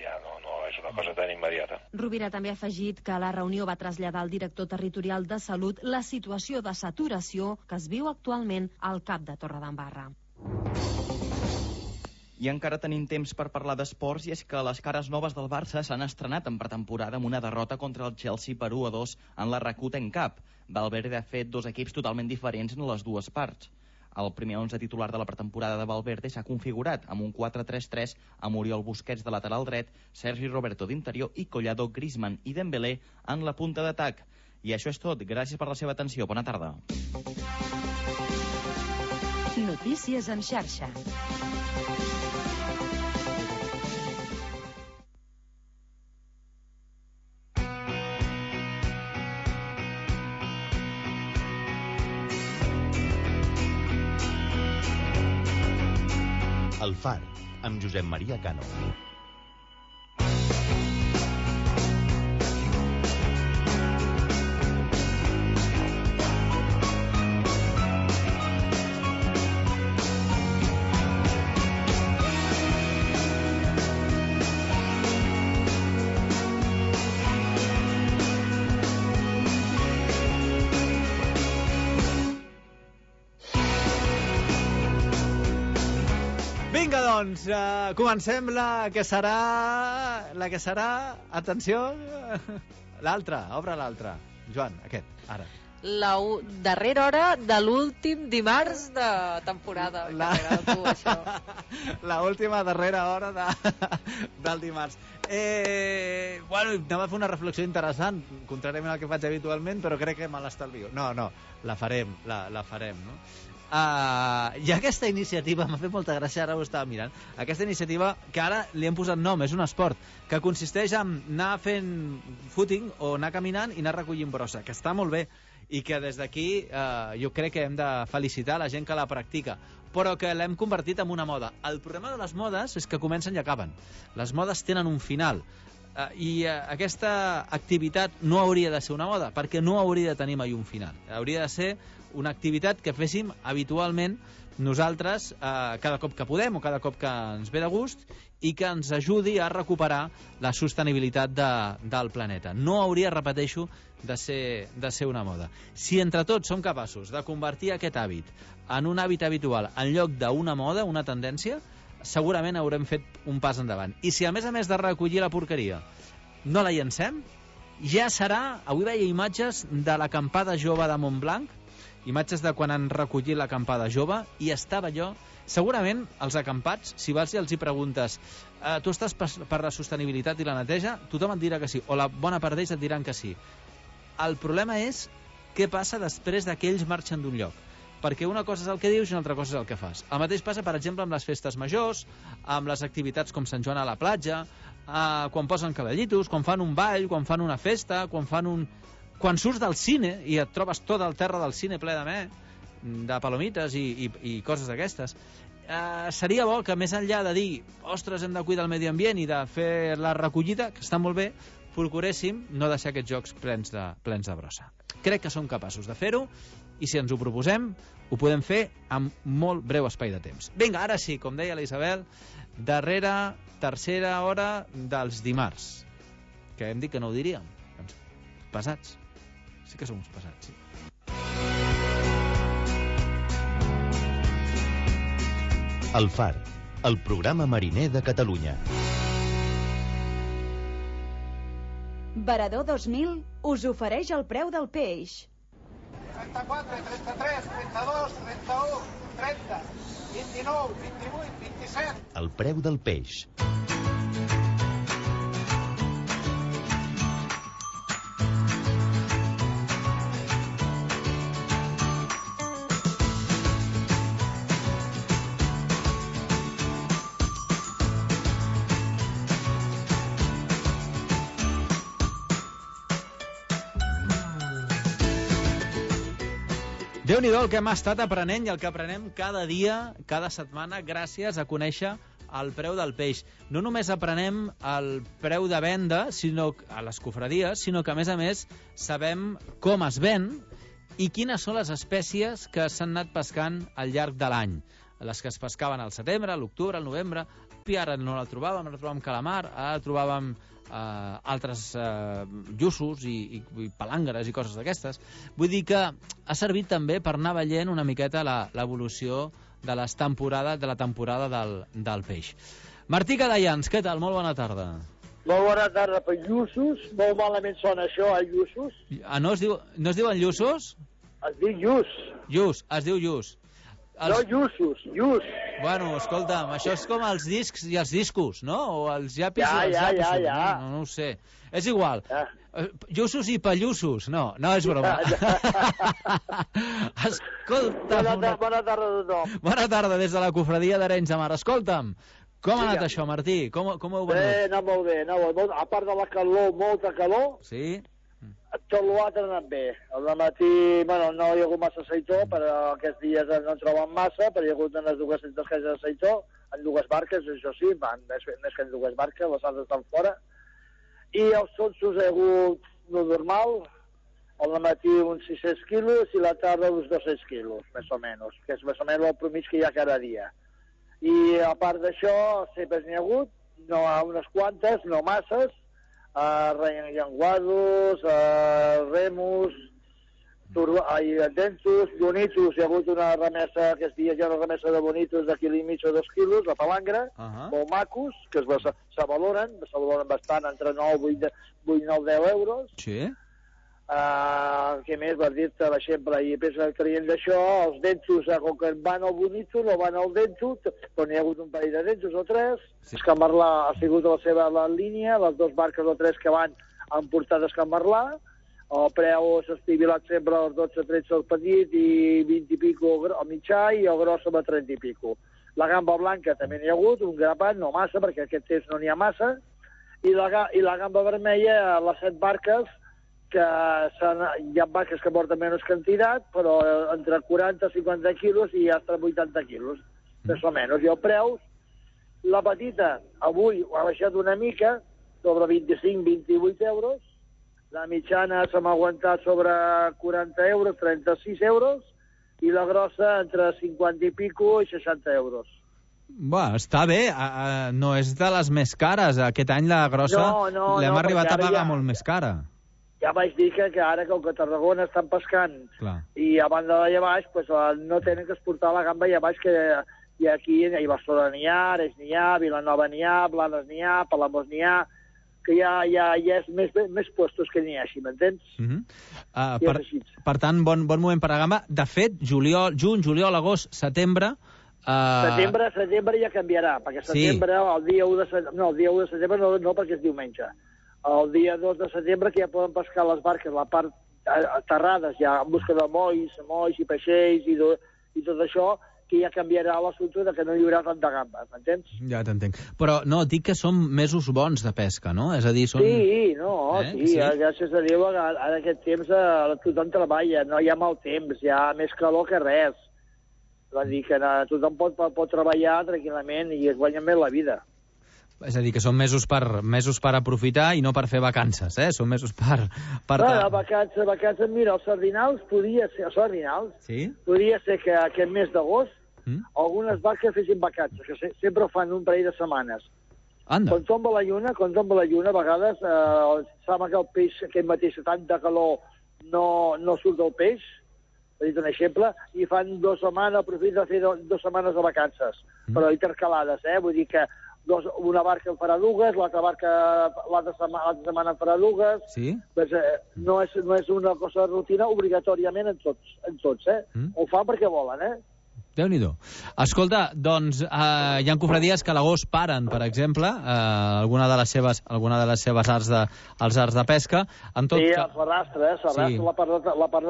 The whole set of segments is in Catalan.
beneficiar, no és una cosa tan immediata. Rovira també ha afegit que la reunió va traslladar al director territorial de Salut la situació de saturació que es viu actualment al CAP de Torredembarra. I encara tenim temps per parlar d'esports, i és que les cares noves del Barça s'han estrenat en pretemporada amb una derrota contra el Chelsea per 1-2 en la Rakuten Cup. Valverde ha fet dos equips totalment diferents en les dues parts. El primer 11 titular de la pretemporada de Valverde s'ha configurat amb un 4-3-3 amb Oriol Busquets de lateral dret, Sergi Roberto d'interior i Collado, Griezmann i Dembélé en la punta d'atac. I això és tot. Gràcies per la seva atenció. Bona tarda. Notícies en xarxa. El Far, amb Josep Maria Cano. Doncs comencem la que serà, atenció, l'altra, obre l'altra. Joan, aquest, ara. La darrera hora de l'últim dimarts de temporada. La última darrera hora del dimarts. Bueno, anem a fer una reflexió interessant, contràriament al que faig habitualment, però crec que me l'estalvio. No, la farem, no? I aquesta iniciativa m'ha fet molta gràcia, ara ho estava mirant, aquesta iniciativa que ara li hem posat nom, és un esport que consisteix en anar fent footing o anar caminant i anar recollint brossa, que està molt bé i que des d'aquí jo crec que hem de felicitar la gent que la practica, però que l'hem convertit en una moda. El problema de les modes és que comencen i acaben. Les modes tenen un final. I aquesta activitat no hauria de ser una moda, perquè no hauria de tenir mai un final. Hauria de ser una activitat que féssim habitualment nosaltres cada cop que podem o cada cop que ens ve de gust i que ens ajudi a recuperar la sostenibilitat del planeta. No hauria, repeteixo, de ser una moda. Si entre tots som capaços de convertir aquest hàbit en un hàbit habitual en lloc d'una moda, una tendència, segurament haurem fet un pas endavant. I si a més de recollir la porqueria no la llancem, ja serà... Avui veia imatges de l'acampada jove de Montblanc, imatges de quan han recollit l'acampada jove, i estava allò... Segurament els acampats, si vas i els hi preguntes tu estàs per la sostenibilitat i la neteja, tothom et dirà que sí, o la bona part d'ells et diran que sí. El problema és què passa després que ells marxen d'un lloc, perquè una cosa és el que dius i una altra cosa és el que fas. El mateix passa, per exemple, amb les festes majors, amb les activitats com Sant Joan a la platja, quan posen cavallitos, quan fan un ball, quan fan una festa, quan surts del cine i et trobes tot el terra del cine ple de palomites i coses d'aquestes. Seria bo que, més enllà de dir ostres, hem de cuidar el medi ambient i de fer la recollida, que està molt bé, procuréssim no deixar aquests jocs plens de brossa. Crec que som capaços de fer-ho, i si ens ho proposem, ho podem fer amb molt breu espai de temps. Vinga, ara sí, com deia la Isabel, tercera hora dels dimarts, que hem dit que no ho diríem. Doncs, pesats. Sí que som uns pesats, sí. El Far, el programa mariner de Catalunya. Varador 2000 us ofereix el preu del peix. 34, 33, 32, 31, 30, 29, 28, 27... El preu del peix. Déu-n'hi-do el que hem estat aprenent i el que aprenem cada dia, cada setmana, gràcies a conèixer el preu del peix. No només aprenem el preu de venda a les cofradies, sinó que, a més, sabem com es ven i quines són les espècies que s'han anat pescant al llarg de l'any. Les que es pescaven al setembre, a l'octubre, al novembre, ara no la trobàvem calamar, ara trobàvem altres lluços i palangres i coses d'aquestes. Vull dir que ha servit també per anar veient una miqueta l'evolució de la temporada del peix. Martí Cadellans, què tal? Molt bona tarda. Molt bona tarda per lluços. Molt malament sona això, lluços. No es diuen lluços? Es diu lluç. Lluç, es diu lluç. No, lluços, lluç. Bueno, escolta'm, això és com els discs i els discos, no? O els llapis i els llapis. Ja. No ho sé. És igual. Lluços i pallussos. No és broma. Escolta... Bona tarda a tothom. Bona tarda des de la cofradia d'Arenys de Mar. Escolta'm, com ha anat això, Martí? Com ho venut? Bé, ha anat molt bé. A part de la calor, molta calor. Sí. Tot l'altre ha anat bé. Al matí, bueno, no hi ha hagut massa seitó, però aquests dies no en troben massa, però hi ha hagut unes 200 caixes de seitó, en 2 barques, això sí, més que en 2 barques, les altres estan fora. I els sonsos hi ha hagut no normal, al matí uns 600 quilos i la tarda uns 200 quilos, més o menys, que és més o menys el promig que hi ha cada dia. I a part d'això, sempre n'hi ha hagut, no unes quantes, no masses, llenguados, remus, densos, bonitos. Hi ha hagut una remesa, aquests dies hi ha una remesa de bonitos de quilo i mig o 2 quilos, la palangre, molt macos, que se valoren bastant, entre 9, 8, 9, 10 euros. Sí. Què més vas dir-te, l'exemple? I creient d'això, els densos, com que van al bonito, no van al denso, però n'hi ha hagut un parell de densos o 3. Sí. Escamarlà ha sigut la seva línia, les 2 barques o 3 que van han portat Escamarlà. El preu s'ha estivilat sempre als 12-13 el petit i 20 i pico el mitjà i el gros a 30 i pico. La gamba blanca també n'hi ha hagut, un grapat, no massa, perquè aquest temps no n'hi ha massa. I la gamba vermella, les 7 barques, que hi ha barques que porten menys quantitat, però entre 40 i 50 quilos i fins a 80 quilos, més o menys. I el preu, la petita, avui ha baixat una mica, sobre 25-28 euros, la mitjana se m'ha aguantat sobre 40 euros, 36 euros, i la grossa entre 50 i pico i 60 euros. Bé, està bé, no és de les més cares. Aquest any la grossa l'hem arribat a pagar molt més cara. Ja vaig dir que ara, com que a Tarragona estan pescant i a banda d'allà baix, pues, no tenen que exportar la gamba allà baix, que hi ha aquí, a Barcelona n'hi ha, Arenys n'hi ha, Vilanova n'hi ha, Blanes n'hi ha, Palamós n'hi ha, que ja és més puestos que n'hi ha, així, m'entens? Per tant, bon moment per la gamba. De fet, juny, juliol, agost, setembre... Setembre ja canviarà, perquè setembre, el dia 1 de setembre no, perquè és diumenge. El dia 2 de setembre que ja poden pescar les barques, la part aterrades, ja en busca de molls i peixells i tot això, que ja canviarà l'assumpte de que no hi haurà tant de gamba, m'entens? Ja t'entenc. Però no, dic que són mesos bons de pesca, no? És a dir, són... Sí, gràcies a Déu, ara aquest temps tothom treballa, no hi ha mal temps, hi ha més calor que res. Va dir que tothom pot treballar tranquil·lament i es guanya més la vida. És a dir, que són mesos per aprofitar i no per fer vacances, eh? Són mesos per... Vacances, mira, els sardinals podria ser que aquest mes d'agost algunes barques fessin vacances, que sempre ho fan un parell de setmanes. Anda. Quan tomba la lluna, a vegades sembla que el peix, aquest mateix, tanta calor, no surt del peix, per dir un exemple, i fan 2 setmanes, aprofiten de fer 2 setmanes de vacances, però intercalades, vull dir que una barca en farà 2, l'altra setmana en farà 2. Sí? Pues, no és una cosa de rutina obligatòriament en tots. Ho fan perquè volen, Déu-n'hi-do. Escolta, doncs, hi ha cofradies que a l'agost paren, per exemple, alguna de les seves arts de pesca. Sí, el Ferrastre, la part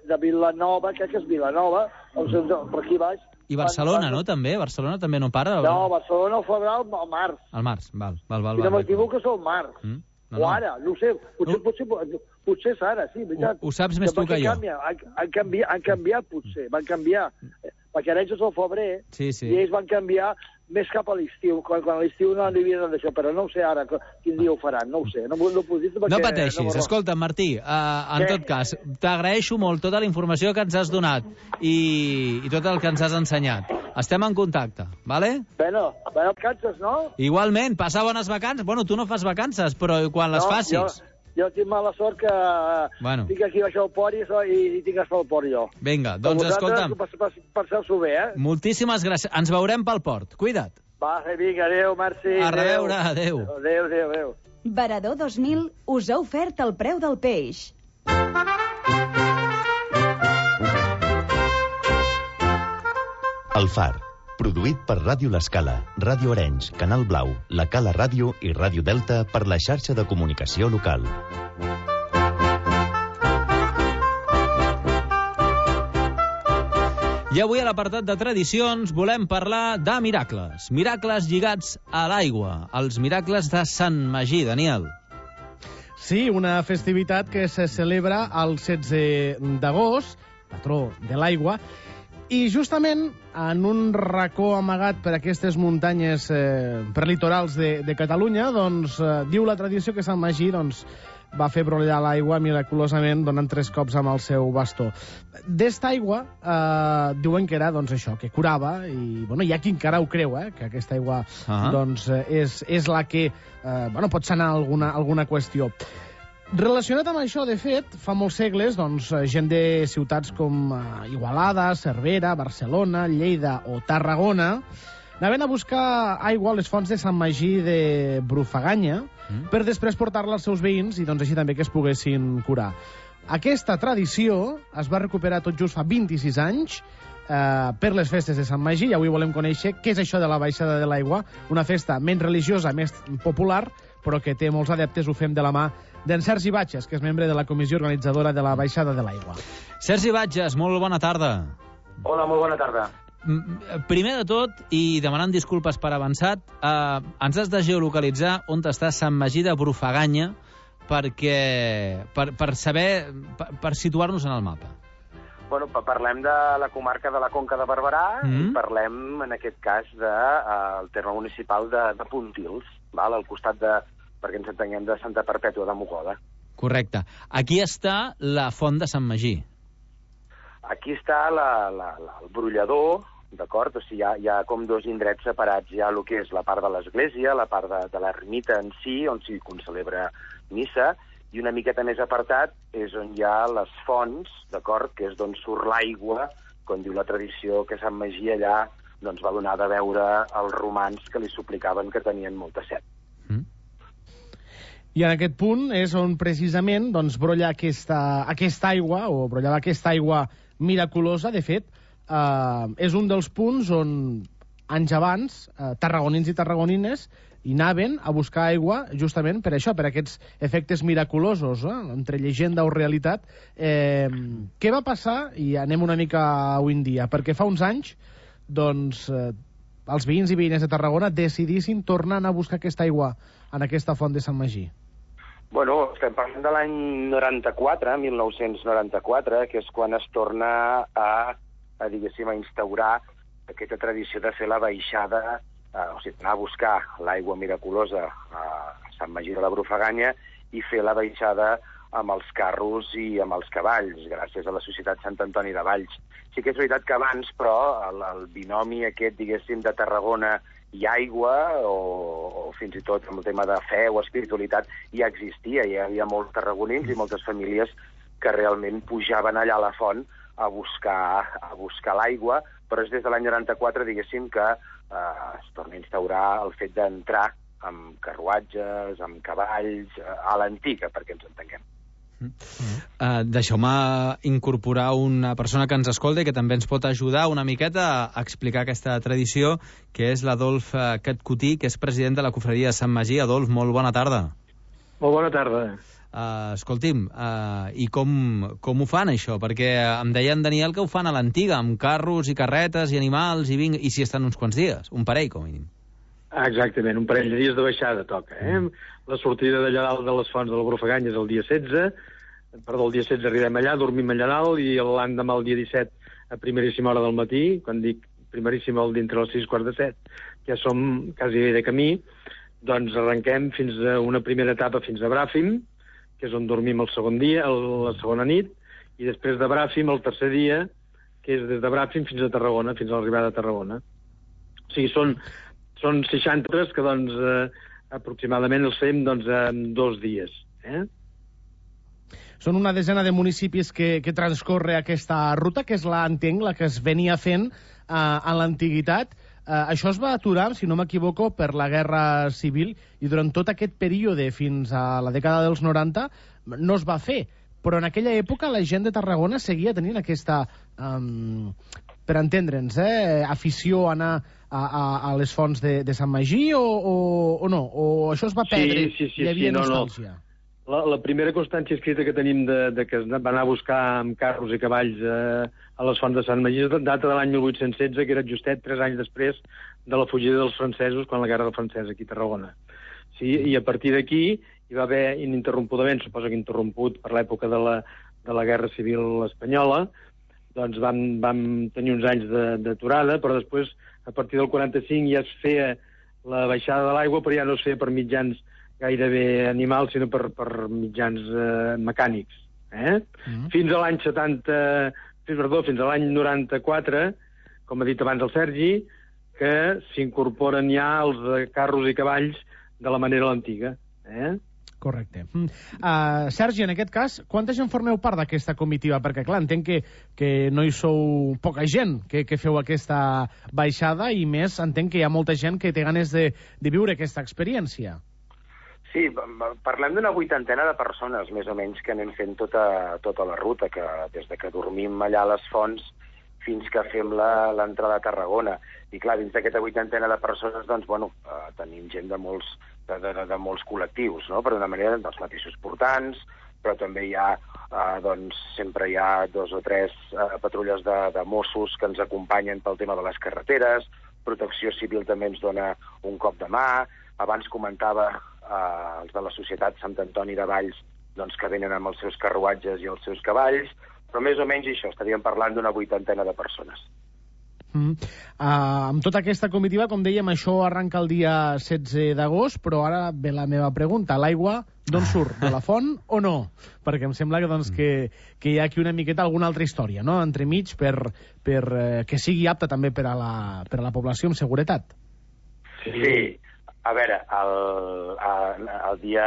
de Vilanova, crec que és Vilanova, per aquí baix. I Barcelona, no, també? Barcelona també no para? No, Barcelona ho farà al març. Al març, val. Si no m'equivoco és al març. O ara, no ho sé. Potser és ara, sí, veritat. Ho saps més tu que jo. Han canviat, potser. Van canviar. Perquè Arenys és al febrer i ells van canviar més cap a l'estiu, quan a l'estiu no havien d'això, però no ho sé ara quin dia ho faran, no ho sé. No puc dir perquè... No pateixis. Escolta, Martí, en tot cas, t'agraeixo molt tota la informació que ens has donat i tot el que ens has ensenyat. Estem en contacte, vale? Bueno, vacances, no? Igualment, passa bones vacances. Bueno, tu no fas vacances, però quan les facis... Jo tinc mala sort que tinc aquí baix al port i tinc que estar al port jo. Vinga, doncs escolta'm. Passeu-s'ho bé, Moltíssimes gràcies. Ens veurem pel port. Cuida't. Va, vinga, adéu, merci. A reveure, adéu. Adéu. Varador 2000 us ha ofert el preu del peix. El Far, produït per Ràdio L'Escala, Ràdio Arenys, Canal Blau, La Cala Ràdio i Ràdio Delta per la xarxa de comunicació local. I avui a l'apartat de tradicions volem parlar de miracles. Miracles lligats a l'aigua. Els miracles de Sant Magí, Daniel. Sí, una festivitat que se celebra el 16 d'agost, patró de l'aigua, i justament en un racó amagat per aquestes muntanyes prelitorals de Catalunya, doncs diu la tradició que Sant Magí va fer brollar l'aigua miraculosament donant 3 cops amb el seu bastó. D'esta aigua diuen que era això, que curava, i hi ha qui encara ho creu, que aquesta aigua és la que pot sanar alguna qüestió. Relacionat amb això, de fet, fa molts segles, gent de ciutats com Igualada, Cervera, Barcelona, Lleida o Tarragona anaven a buscar aigua a les fonts de Sant Magí de Brufaganya per després portar-la als seus veïns i així també que es poguessin curar. Aquesta tradició es va recuperar tot just fa 26 anys per les festes de Sant Magí, i avui volem conèixer què és això de la baixada de l'aigua, una festa menys religiosa, més popular, però que té molts adeptes. Ho fem de la mà d'en Sergi Batges, que és membre de la comissió organitzadora de la baixada de l'aigua. Sergi Batges, molt bona tarda. Hola, molt bona tarda. Primer de tot, i demanant disculpes per avançat, ens has de geolocalitzar on està Sant Magí de Brufaganya per situar-nos en el mapa. Bueno, parlem de la comarca de la Conca de Barberà i parlem, en aquest cas, del terme municipal de Pontils, al costat perquè ens entenguem, de Santa Perpètua de Mogoda. Correcte. Aquí està la font de Sant Magí. Aquí està el brollador, d'acord? O sigui, hi ha com 2 indrets separats. Hi ha el que és la part de l'església, la part de l'ermita en si, on s'hi celebra missa, i una miqueta més apartat és on hi ha les fonts, d'acord? Que és d'on surt l'aigua, com diu la tradició, que Sant Magí allà va donar de veure als romans que li suplicaven que tenien molta set. I en aquest punt és on precisament brolla aquesta aigua, o brollava aquesta aigua miraculosa. De fet, és un dels punts on anys abans tarragonins i tarragonines hi anaven a buscar aigua justament per això, per aquests efectes miraculosos, entre llegenda o realitat. Què va passar? I anem una mica avui en dia, perquè fa uns anys els veïns i veïnes de Tarragona decidissin tornar a buscar aquesta aigua en aquesta font de Sant Magí. Bueno, estem parlant de l'any 1994, que és quan es torna a instaurar aquesta tradició de fer la baixada, o sigui, anar a buscar l'aigua miraculosa a Sant Magí de la Brufaganya i fer la baixada amb els carros i amb els cavalls, gràcies a la Societat Sant Antoni de Valls. Sí que és veritat que abans, però, el binomi aquest, diguéssim, de Tarragona i aigua, o fins i tot amb el tema de fe o espiritualitat, ja existia. Hi havia molts tarragonins i moltes famílies que realment pujaven allà a la font a buscar l'aigua, però és des de l'any 94, diguéssim, que es torna a instaurar el fet d'entrar amb carruatges, amb cavalls, a l'antiga, perquè ens entenguem. Deixeu-me incorporar una persona que ens escolta i que també ens pot ajudar una miqueta a explicar aquesta tradició, que és l'Adolf Catcutí, que és president de la Cofradia de Sant Magí. Adolf, molt bona tarda. Molt bona tarda. Escolti'm, i com ho fan, això? Perquè em deia en Daniel que ho fan a l'antiga, amb carros i carretes i animals, i s'hi estan uns quants dies, un parell, com a mínim. Exactament, un parell de dies de baixada toca. La sortida d'allà dalt de les fonts de la Brufaganya és el dia 16, el dia 16 arribem allà, dormim allà dalt, i l'endemà, el dia 17, a primeríssima hora del matí, quan dic primeríssim dintre els 6:15, ja som quasi de camí, doncs arrenquem fins a una primera etapa fins a Bràfim, que és on dormim el segon dia, la segona nit, i després de Bràfim el tercer dia, que és des de Bràfim fins a Tarragona, fins a l'arribada a Tarragona. O sigui, són 60 que, doncs, aproximadament els fem, doncs, en 2 dies. Són una desena de municipis que transcorre aquesta ruta, que és entenc, la que es venia fent en l'antiguitat. Això es va aturar, si no m'equivoco, per la Guerra Civil, i durant tot aquest període, fins a la dècada dels 90, no es va fer. Però en aquella època la gent de Tarragona seguia tenint aquesta, per entendre'ns, afició a anar a les fonts de Sant Magí o no? O això es va perdre? Sí, hi havia nostàlgia? La primera constància escrita que tenim de que es va anar a buscar amb carros i cavalls a les fonts de Sant Magí data de l'any 1816, que era justet 3 anys després de la fugida dels francesos quan la Guerra Francesa aquí a Tarragona. Sí, i a partir d'aquí hi va haver ininterrompudament, suposo que interromput per l'època de la Guerra Civil Espanyola, doncs vam tenir uns anys d'aturada, però després, a partir del 45, ja es feia la baixada de l'aigua, però ja no es feia per mitjans gairebé animals, sinó per mitjans mecànics. Fins a l'any 94, com ha dit abans el Sergi, que s'incorporen ja els carros i cavalls de la manera antiga. Correcte. Sergi, en aquest cas, quanta gent formeu part d'aquesta comitiva? Perquè, clar, entenc que no hi sou poca gent que feu aquesta baixada, i més, entenc que hi ha molta gent que té ganes de viure aquesta experiència. Sí, parlem d'una 80 de persones, més o menys, que anem fent tota la ruta, que des de que dormim allà a les fonts fins que fem l'entrada a Tarragona. I clar, dins d'aquesta 80 de persones, doncs, bueno, tenim gent de molts col·lectius, no? Per una manera, dels mateixos portants, però també hi ha, doncs, sempre hi ha 2 o 3 patrulles de Mossos que ens acompanyen pel tema de les carreteres, Protecció Civil també ens dona un cop de mà, abans comentava els de la Societat Sant Antoni de Valls, doncs, que venen amb els seus carruatges i els seus cavalls, però més o menys això, estaríem parlant d'una 80 de persones. Amb tota aquesta comitiva, com dèiem, això arranca el dia 16 d'agost, però ara ve la meva pregunta. L'aigua d'on surt? De la font o no? Perquè em sembla que hi ha aquí una miqueta alguna altra història, no?, entremig, per que sigui apta també per a la població amb seguretat. Sí. A veure, el dia,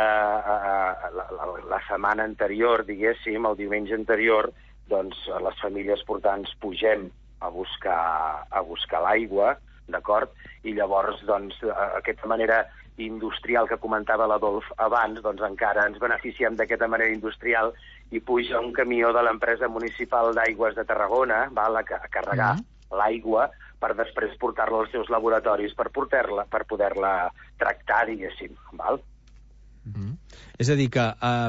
la setmana anterior, diguéssim, el diumenge anterior, doncs les famílies portants pugem a buscar l'aigua, d'acord? I llavors, doncs, aquesta manera industrial que comentava l'Adolf abans, doncs encara ens beneficiem d'aquesta manera industrial i puja un camió de l'empresa municipal d'aigües de Tarragona, a carregar l'aigua, per després portar-la als seus laboratoris per poder-la tractar, diguéssim. Val? És a dir, que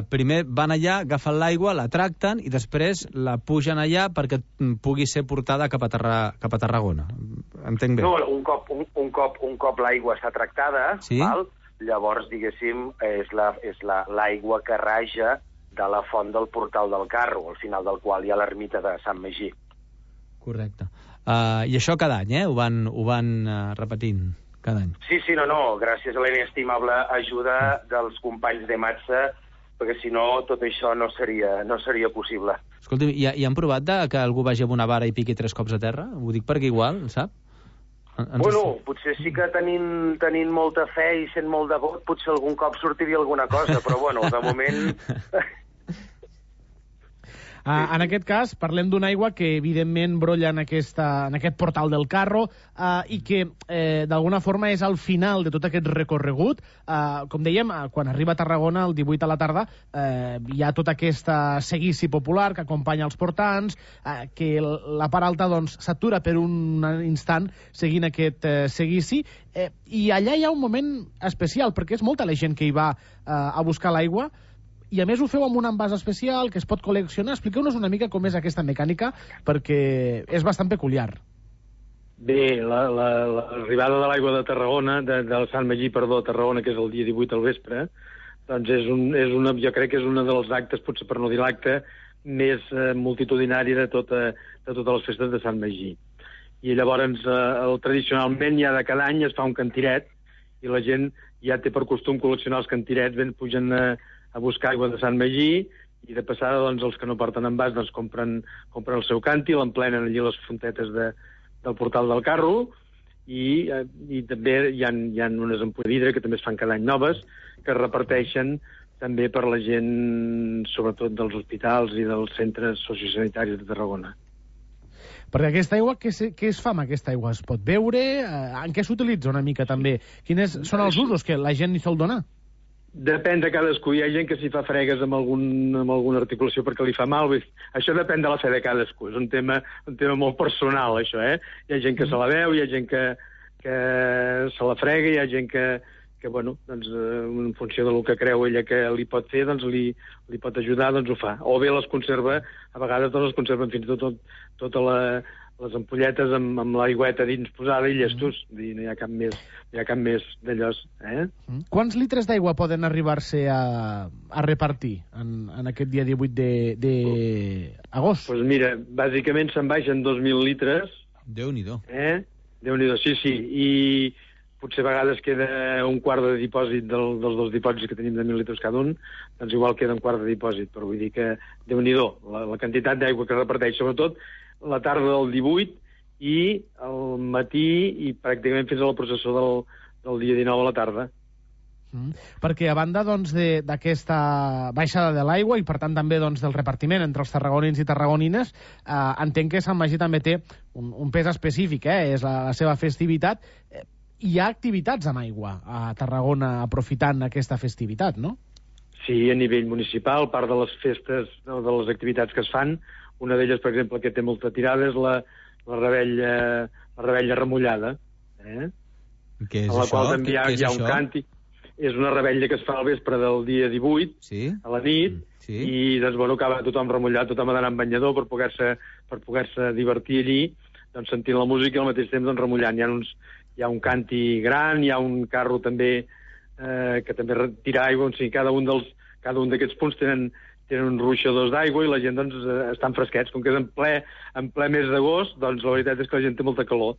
primer van allà, agafen l'aigua, la tracten i després la pugen allà perquè pugui ser portada cap a Tarragona. Entenc bé? No, un cop l'aigua està tractada, sí? Val? Llavors, diguéssim, és l'aigua que raja de la font del portal del Carro, al final del qual hi ha l'ermita de Sant Magí. Correcte. I això cada any, ho van repetint cada any. Sí, no, gràcies a la inestimable ajuda dels companys de Matsa, perquè si no tot això no seria possible. Escolti, i han provat que algú vagi amb una vara i piqui 3 cops a terra? Ho dic perquè igual, sap? Bueno, potser sí que tenint molta fe i sent molt devot, potser algun cop sortiria alguna cosa, però bueno, de moment... En aquest cas, parlem d'una aigua que evidentment brolla en aquest portal del Carro i que d'alguna forma és al final de tot aquest recorregut. Com dèiem, quan arriba a Tarragona el 18 a la tarda hi ha tota aquesta seguici popular que acompanya els portants, que la part alta doncs s'atura per un instant seguint aquest seguici, i allà hi ha un moment especial perquè és molta la gent que hi va a buscar l'aigua. I a més ho feu amb un envàs especial que es pot col·leccionar. Expliqueu-nos una mica com és aquesta mecànica, perquè és bastant peculiar. Bé, l'arribada de l'aigua de Tarragona, del Sant Magí, a Tarragona, que és el dia 18 al vespre, doncs jo crec que és un dels actes, potser per no dir l'acte, més multitudinari de totes les festes de Sant Magí. i llavors tradicionalment ja de cada any es fa un cantiret i la gent ja té per costum col·leccionar els cantirets, pugen a buscar aigua de Sant Magí i de passada doncs, els que no porten envàs doncs, compren el seu canti, l'emplenen allí les fontetes del portal del carro i també hi ha unes ampolles de vidre que també es fan cada any noves que es reparteixen també per la gent, sobretot dels hospitals i dels centres sociosanitaris de Tarragona. Perquè aquesta aigua, què es fa amb aquesta aigua? Es pot beure? En què s'utilitza una mica també? Quins són els usos que la gent hi sol donar? Depèn de cadascú. Hi ha gent que s'hi fa fregues amb alguna articulació perquè li fa mal. Això depèn de la fe de cadascú. És un tema molt personal, això, eh? Hi ha gent que se la veu, hi ha gent que se la frega, hi ha gent que bueno, doncs, en funció del que creu ella que li pot fer, doncs li pot ajudar, doncs ho fa. O bé les conserva, a vegades les conserven fins i tot totes les ampolletes amb l'aigüeta dins posada i llestos. No hi ha cap més d'allò. Quants litres d'aigua poden arribar-se a repartir en aquest dia 18 d'agost? Doncs mira, bàsicament se'n baixen 2.000 litres. Déu-n'hi-do. Déu-n'hi-do, sí. I potser a vegades queda un quart de dipòsit dels 2 dipòsits que tenim de 1.000 litres cada un, doncs igual queda un quart de dipòsit, però vull dir que Déu-n'hi-do, la quantitat d'aigua que reparteix, sobretot la tarda del 18 i el matí i pràcticament fins a la processó del dia 19 a la tarda. Perquè a banda d'aquesta baixada de l'aigua i per tant també del repartiment entre els tarragonins i tarragonines, entenc que Sant Magí també té un pes específic, és la seva festivitat. Hi ha activitats amb aigua a Tarragona aprofitant aquesta festivitat, no? Sí, a nivell municipal, part de les festes, de les activitats que es fan, una d'elles, per exemple, que té molta tirada és la rebella remullada. Què és això? A la qual també hi ha un càntic. És una rebella que es fa al vespre del dia 18, a la nit, i doncs, bueno, acaba tothom remullat, tothom ha d'anar amb banyador per poder-se divertir allí, doncs sentint la música i al mateix temps remullant. Hi ha un canti gran, hi ha un carro també que també tira aigua, o sigui, cada un d'aquests punts tenen uns ruixadors d'aigua i la gent doncs, estan fresquets. Com que és en ple mes d'agost, doncs la veritat és que la gent té molta calor.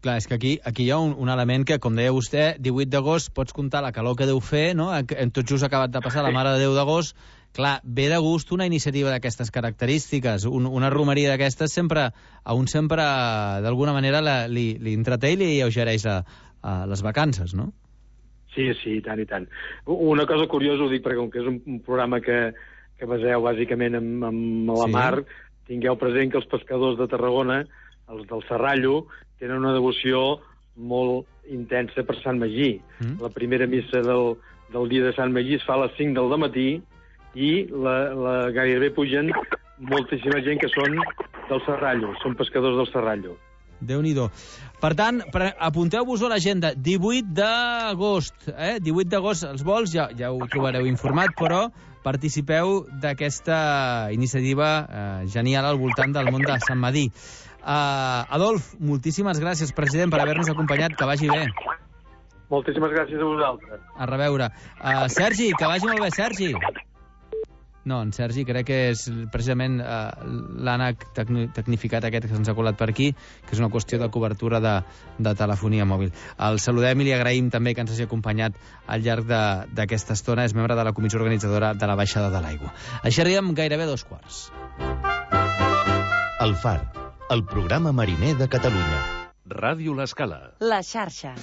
Clar, és que aquí hi ha un element que, com deia vostè, 18 d'agost pots comptar la calor que deu fer, no? Tot just ha acabat de passar la Mare de Déu d'agost. Clar, ve de gust una iniciativa d'aquestes característiques, una romeria d'aquestes sempre d'alguna manera li entreté i li alleugereix les vacances, no? Sí, i tant, i tant. Una cosa curiosa, ho dic perquè com que és un programa que baseu bàsicament amb la mar, tingueu present que els pescadors de Tarragona, els del Serrallo, tenen una devoció molt intensa per Sant Magí. La primera missa del dia de Sant Magí es fa a les 5 del matí i gairebé pugen moltíssima gent que són del Serrallo, són pescadors del Serrallo. Déu-n'hi-do. Per tant, apunteu-vos a l'agenda, 18 d'agost. 18 d'agost els vols, ja ho trobareu informat, però participeu d'aquesta iniciativa genial al voltant del món de Sant Magí. Adolf, moltíssimes gràcies, president, per haver-nos acompanyat. Que vagi bé. Moltíssimes gràcies a vosaltres. A reveure. Sergi, que vagi molt bé, Sergi. No, en Sergi crec que és precisament l'ànec tecnificat aquest que se'ns ha colat per aquí, que és una qüestió de cobertura de telefonia mòbil. El saludem i li agraïm també que ens hagi acompanyat al llarg d'aquesta estona. És membre de la comissió organitzadora de la baixada de l'aigua. Així arribem gairebé 2:15. El Far, el programa mariner de Catalunya. Ràdio L'Escala. La xarxa.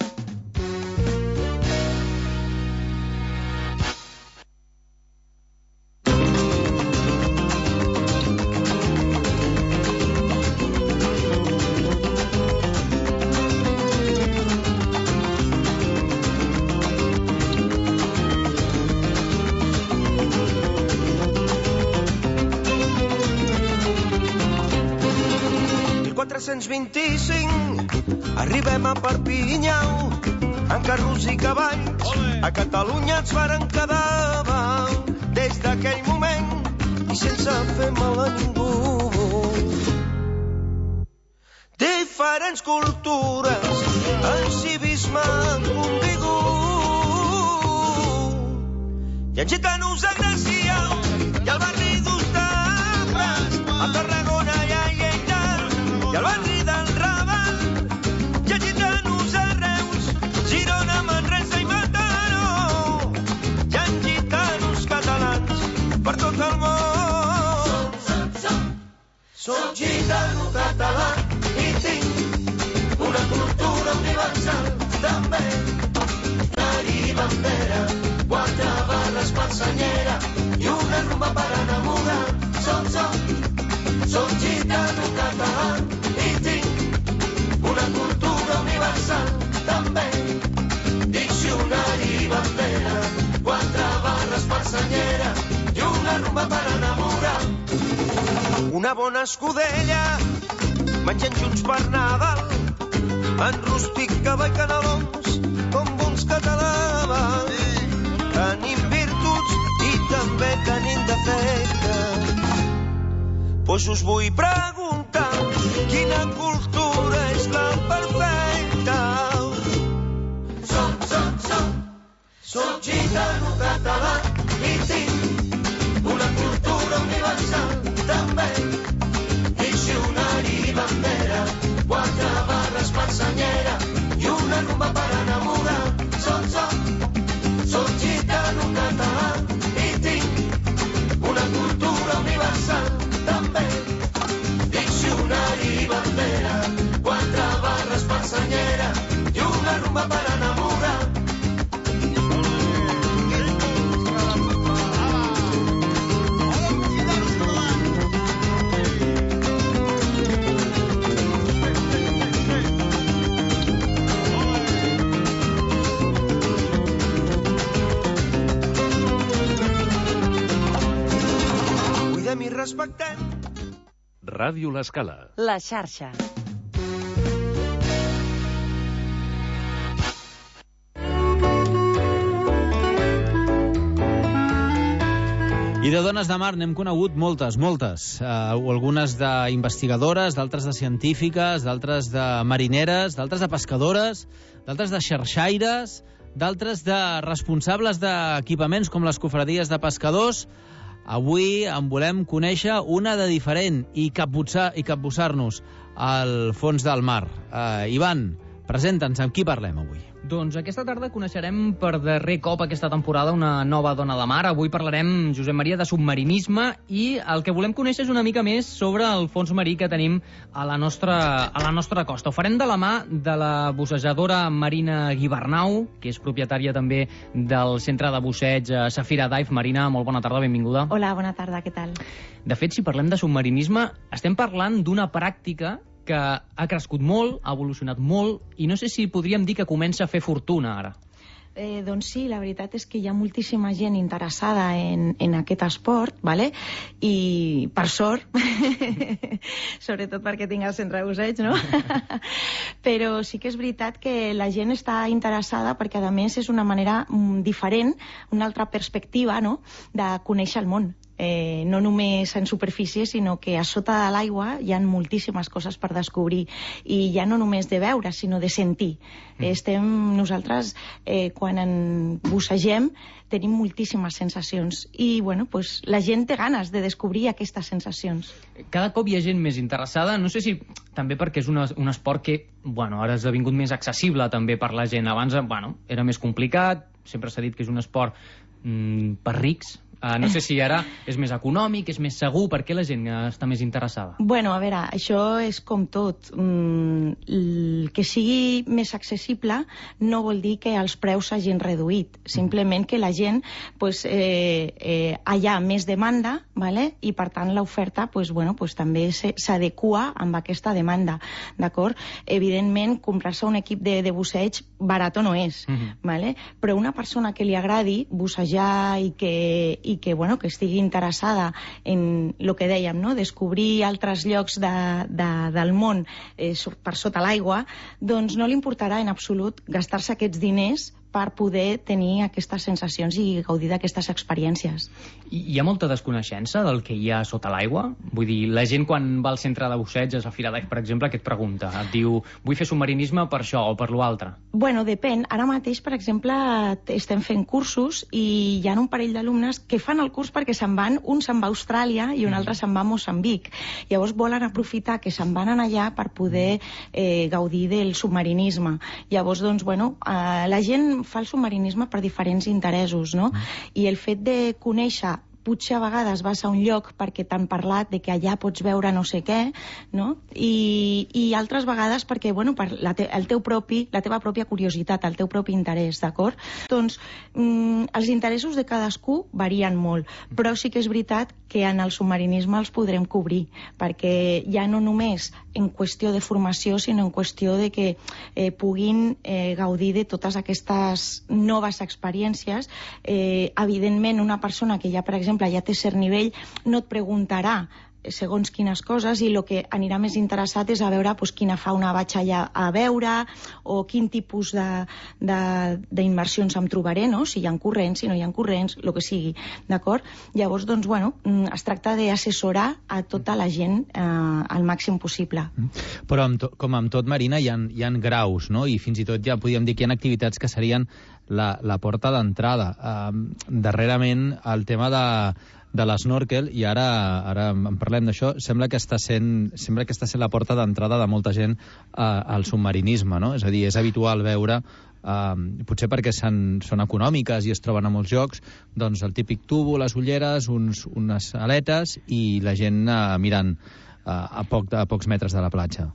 Arribem a Perpinyà en carros i cavalls. A Catalunya ens varen quedar des d'aquell moment i sense fer mal a ningú. Diferents cultures, el civisme contigu. Hi ha gitanos a Gràcia i al barri d'Ostafrancs, a Tarragona i a Lleida i al barri del Ram. bandera, 4 barres per senyera i una rumba per enamorar. Una bona escudella, menjant junts per Nadal, en rústic, cava i canelons, com bons catalans. Tenim virtuts i també tenim defectes. Pues us vull preguntar quina cultura és la perfecta. Soc gitano català i tinc una cultura universal també. Diccionari i bandera, 4 barres per senyera i una rumba per enamorar. Soc gitano català i tinc una cultura universal també. Diccionari i bandera, 4 barres per senyera i una rumba per enamorar. Cuidem i respectem. Ràdio L'Escala. La xarxa. I de dones de mar n'hem conegut moltes. Algunes d'investigadores, d'altres de científiques, d'altres de marineres, d'altres de pescadores, d'altres de xarxaires, d'altres de responsables d'equipaments com les cofradies de pescadors. Avui en volem conèixer una de diferent i capbussar-nos al fons del mar. Ivan, presenta'ns, amb qui parlem avui? Doncs aquesta tarda coneixerem per darrer cop aquesta temporada una nova dona de mar. Avui parlarem, Josep Maria, de submarinisme i el que volem conèixer és una mica més sobre el fons marí que tenim a la nostra costa. Ho farem de la mà de la bussejadora Marina Guibernau, que és propietària també del centre de busseig Safira Dive. Marina, molt bona tarda, benvinguda. Hola, bona tarda, què tal? De fet, si parlem de submarinisme, estem parlant d'una pràctica que ha crescut molt, ha evolucionat molt, i no sé si podríem dir que comença a fer fortuna ara. Doncs sí, la veritat és que hi ha moltíssima gent interessada en aquest esport, ¿vale? I per sort, sobretot perquè tinc el centre de busseig, no? Però sí que és veritat que la gent està interessada perquè, a més, és una manera diferent, una altra perspectiva, no?, de conèixer el món. No només en superfície, sinó que a sota de l'aigua hi ha moltíssimes coses per descobrir, i ja no només de veure, sinó de sentir. Nosaltres, quan en bussegem, tenim moltíssimes sensacions i pues, la gent té ganes de descobrir aquestes sensacions. Cada cop hi ha gent més interessada, no sé si també perquè és un esport que ara ha esdevingut més accessible també per la gent. Abans era més complicat, sempre s'ha dit que és un esport per rics. No sé si ara és més econòmic, és més segur, per què la gent està més interessada? A veure, això és com tot. Que sigui més accessible no vol dir que els preus s'hagin reduït. Simplement que la gent, hi ha més demanda, i per tant l'oferta també s'adequa amb aquesta demanda. Evidentment, comprar-se un equip de busseig barat no és, però una persona que li agradi bussejar i que estigui interessada en el que dèiem, descobrir altres llocs del món per sota l'aigua, doncs no li importarà en absolut gastar-se aquests diners per poder tenir aquestes sensacions i gaudir d'aquestes experiències. Hi ha molta desconeixença del que hi ha sota l'aigua? Vull dir, la gent quan va al centre de busseig, a Safira Dive, per exemple, què et pregunta? Et diu, vull fer submarinisme per això o per l'altre? Depèn. Ara mateix, per exemple, estem fent cursos i hi ha un parell d'alumnes que fan el curs perquè se'n van, un se'n va a Austràlia i un altre se'n va a Moçambic. Llavors volen aprofitar que se'n van allà per poder gaudir del submarinisme. Llavors, la gent fa el submarinisme per diferents interessos, no? I el fet de conèixer potser a vegades vas a un lloc perquè t'han parlat de que allà pots veure no sé què, no? I altres vegades perquè, bueno, per la teva pròpia curiositat, el teu propi interès, d'acord? Doncs els interessos de cadascú varien molt, però sí que és veritat que en el submarinisme els podrem cobrir, perquè ja no només en qüestió de formació, sinó en qüestió de que puguin gaudir de totes aquestes noves experiències. Evidentment, una persona que ja, per exemple, ja té cert nivell, no et preguntarà segons quines coses, i el que anirà més interessat és a veure quina fauna vaig allà a veure o quin tipus d'immersions em trobaré, no? Si hi ha corrents, si no hi ha corrents, el que sigui, d'acord? Llavors, doncs, bueno, es tracta d'assessorar a tota la gent al màxim possible. Però, com amb tot, Marina, hi ha graus, no? I fins i tot ja podríem dir que hi ha activitats que serien la porta d'entrada. Darrerament, el tema de l'snorkel, i ara en parlem d'això, sembla que està sent la porta d'entrada de molta gent al submarinisme, no? És a dir, és habitual veure, potser perquè són econòmiques i es troben a molts llocs, doncs el típic tubo, les ulleres, unes aletes i la gent mirant a pocs metres de la platja.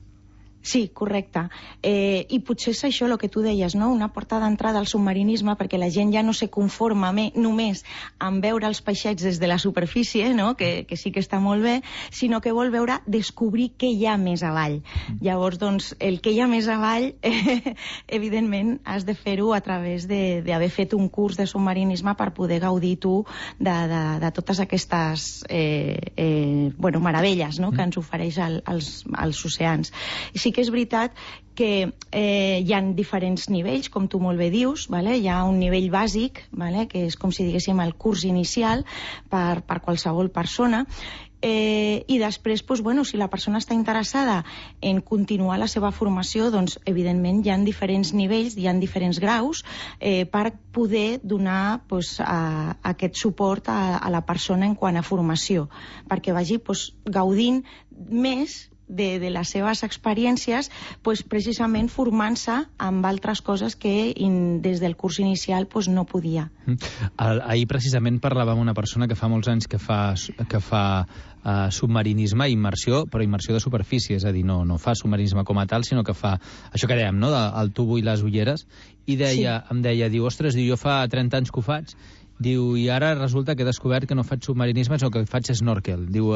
Sí, correcte. I potser és això el que tu deies, no? Una porta d'entrada al submarinisme, perquè la gent ja no se conforma només amb veure els peixets des de la superfície, no? Que sí que està molt bé, sinó que vol descobrir què hi ha més avall. Llavors, doncs, el que hi ha més avall, evidentment, has de fer-ho a través d'haver fet un curs de submarinisme per poder gaudir tu de totes aquestes meravelles, no? Que ens ofereix els oceans. Sí que és veritat que hi ha diferents nivells, com tu molt bé dius, hi ha un nivell bàsic, que és com si diguéssim el curs inicial per qualsevol persona, i després, si la persona està interessada en continuar la seva formació, doncs evidentment hi ha diferents nivells, hi ha diferents graus per poder donar aquest suport a la persona en quant a formació, perquè vagi gaudint més de les seves experiències, precisament formant-se amb altres coses que des del curs inicial no podia. Ahir precisament parlava amb una persona que fa molts anys que fa submarinisme i immersió, però immersió de superfície, és a dir, no fa submarinisme com a tal, sinó que fa això que dèiem, no?, el tubo i les ulleres, i em deia, ostres, jo fa 30 anys que ho faig, diu, i ara resulta que he descobert que no faig submarinisme, sinó que faig snorkel. Diu,